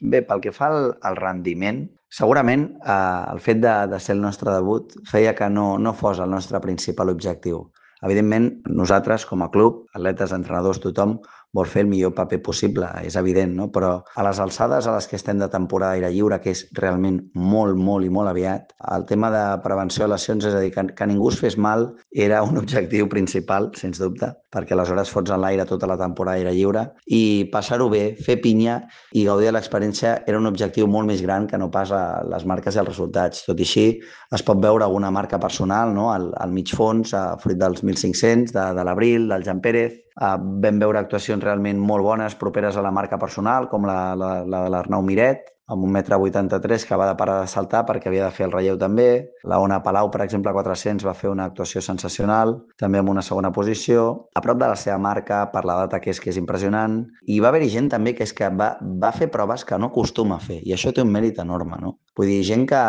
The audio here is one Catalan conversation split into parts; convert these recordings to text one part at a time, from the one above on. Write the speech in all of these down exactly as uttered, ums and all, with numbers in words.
Bé, pel que fa al, al rendiment, segurament eh, el fet de, de ser el nostre debut feia que no, no fos el nostre principal objectiu. Evidentment, nosaltres, com a club, atletes, entrenadors, tothom vol fer el millor paper possible, és evident, no? Però a les alçades a les que estem de temporada d'aire lliure, que és realment molt, molt i molt aviat, el tema de prevenció de lesions, és a dir, que, que ningú es fes mal, era un objectiu principal, sens dubte, perquè aleshores fots en l'aire tota la temporada d'aire lliure i passar-ho bé, fer pinya i gaudir de l'experiència era un objectiu molt més gran que no pas a les marques i els resultats. Tot i així, es pot veure alguna marca personal, no? al, al mig fons, a fruit dels mil cinc-cents, de, de l'Abril, del Jan Pérez. Uh, vam veure actuacions realment molt bones, properes a la marca personal, com la, la, la de l'Arnau Miret, amb un metre vuitanta-tres que va de parar de saltar perquè havia de fer el relleu també. La Ona Palau, per exemple, a quatre-cents va fer una actuació sensacional, també amb una segona posició, a prop de la seva marca, per la data que és, que és impressionant. I va haver-hi gent també que és que va, va fer proves que no acostuma a fer, i això té un mèrit enorme, no? Vull dir, gent que,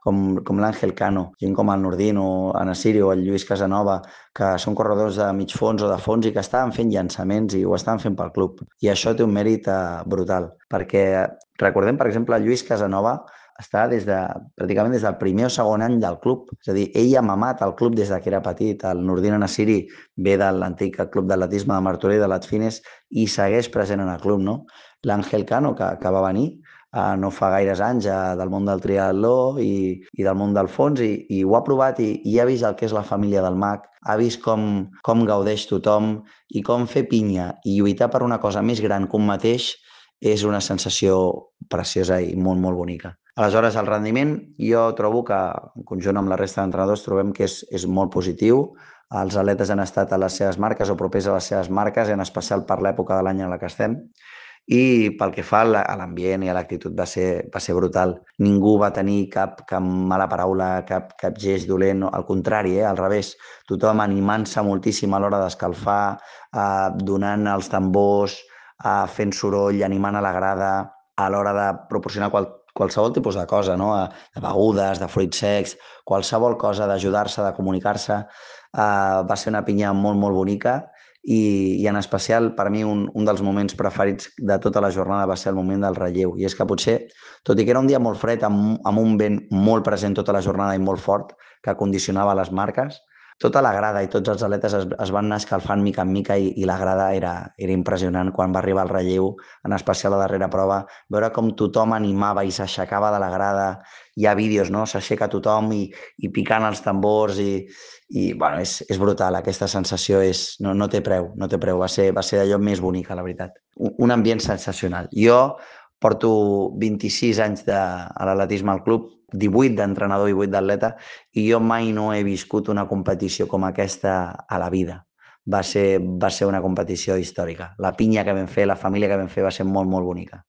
com, com l'Àngel Cano, gent com el Nordin o Anasiri o el Lluís Casanova, que són corredors de mig fons o de fons i que estaven fent llançaments i ho estaven fent pel club. I això té un mèrit eh, brutal, perquè recordem, per exemple, el Lluís Casanova està des de, pràcticament des del primer o segon any del club. És a dir, ell ha mamat el club des de que era petit. El Nordin Anasiri ve de l'antic club d'atletisme de Martorell, de l'Atfines, i segueix present en el club, no? L'Àngel Cano, que, que va venir eh, no fa gaires anys eh, del món del triatló i, i del món del fons, i, i ho ha provat i, i ha vist el que és la família del mag, ha vist com, com gaudeix tothom i com fer pinya i lluitar per una cosa més gran que un mateix és una sensació preciosa i molt, molt bonica. Aleshores, el rendiment, jo trobo que, en conjunt amb la resta d'entrenadors, trobem que és, és molt positiu. Els atletes han estat a les seves marques o propers a les seves marques, en especial per l'època de l'any en la que estem. I pel que fa a l'ambient i a l'actitud va ser, va ser brutal. Ningú va tenir cap, cap mala paraula, cap, cap gest dolent, al contrari, eh, al revés. Tothom animant-se moltíssim a l'hora d'escalfar, eh, donant els tambors, eh, fent soroll, animant a la grada, a l'hora de proporcionar qual, qualsevol tipus de cosa, no? De begudes, de fruits secs, qualsevol cosa, d'ajudar-se, de comunicar-se. Eh, va ser una pinya molt, molt bonica i, i en especial per mi un, un dels moments preferits de tota la jornada va ser el moment del relleu. I és que potser, tot i que era un dia molt fred, amb, amb un vent molt present tota la jornada i molt fort, que condicionava les marques, tota la grada i tots els atletes es, es van anar escalfant mica en mica i, i la grada era, era impressionant quan va arribar el relleu, en especial la darrera prova, veure com tothom animava i s'aixecava de la grada. Hi ha vídeos, no? S'aixeca tothom i, i picant els tambors i, i bueno, és, és brutal, aquesta sensació és, no, no té preu, no té preu, va ser, va ser allò més bonic, la veritat. Un, un ambient sensacional. Jo porto vint-i-sis anys de, a l'atletisme al club, divuit d'entrenador i vuit d'atleta, i jo mai no he viscut una competició com aquesta a la vida. Va ser, va ser una competició històrica. La pinya que vam fer, la família que vam fer va ser molt, molt bonica.